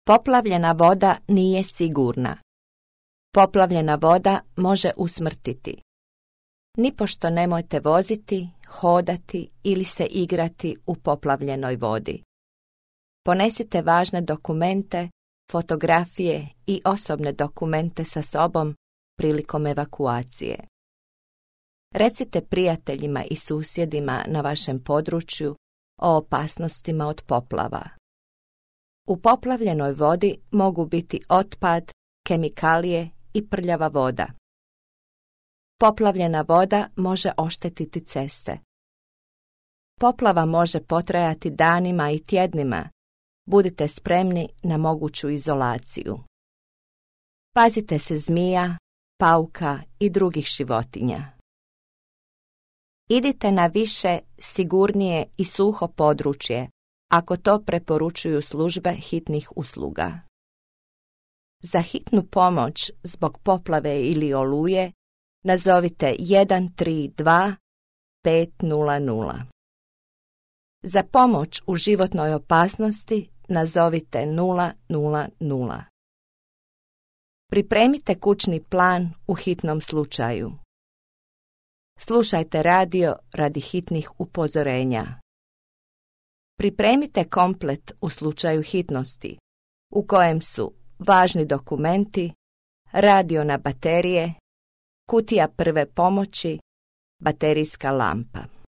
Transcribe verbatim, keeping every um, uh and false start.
Poplavljena voda nije sigurna. Poplavljena voda može usmrtiti. Nipošto nemojte voziti, hodati ili se igrati u poplavljenoj vodi. Ponesite važne dokumente, fotografije i osobne dokumente sa sobom prilikom evakuacije. Recite prijateljima i susjedima na vašem području o opasnostima od poplava. U poplavljenoj vodi mogu biti otpad, kemikalije i prljava voda. Poplavljena voda može oštetiti ceste. Poplava može potrajati danima i tjednima. Budite spremni na moguću izolaciju. Pazite se zmija, pauka i drugih životinja. Idite na više, sigurnije i suho područje, ako to preporučuju službe hitnih usluga. Za hitnu pomoć zbog poplave ili oluje nazovite jedan tri dva pet nula nula. Za pomoć u životnoj opasnosti nazovite nula nula nula. Pripremite kućni plan u hitnom slučaju. Slušajte radio radi hitnih upozorenja. Pripremite komplet u slučaju hitnosti, u kojem su važni dokumenti, radio na baterije, kutija prve pomoći, baterijska lampa.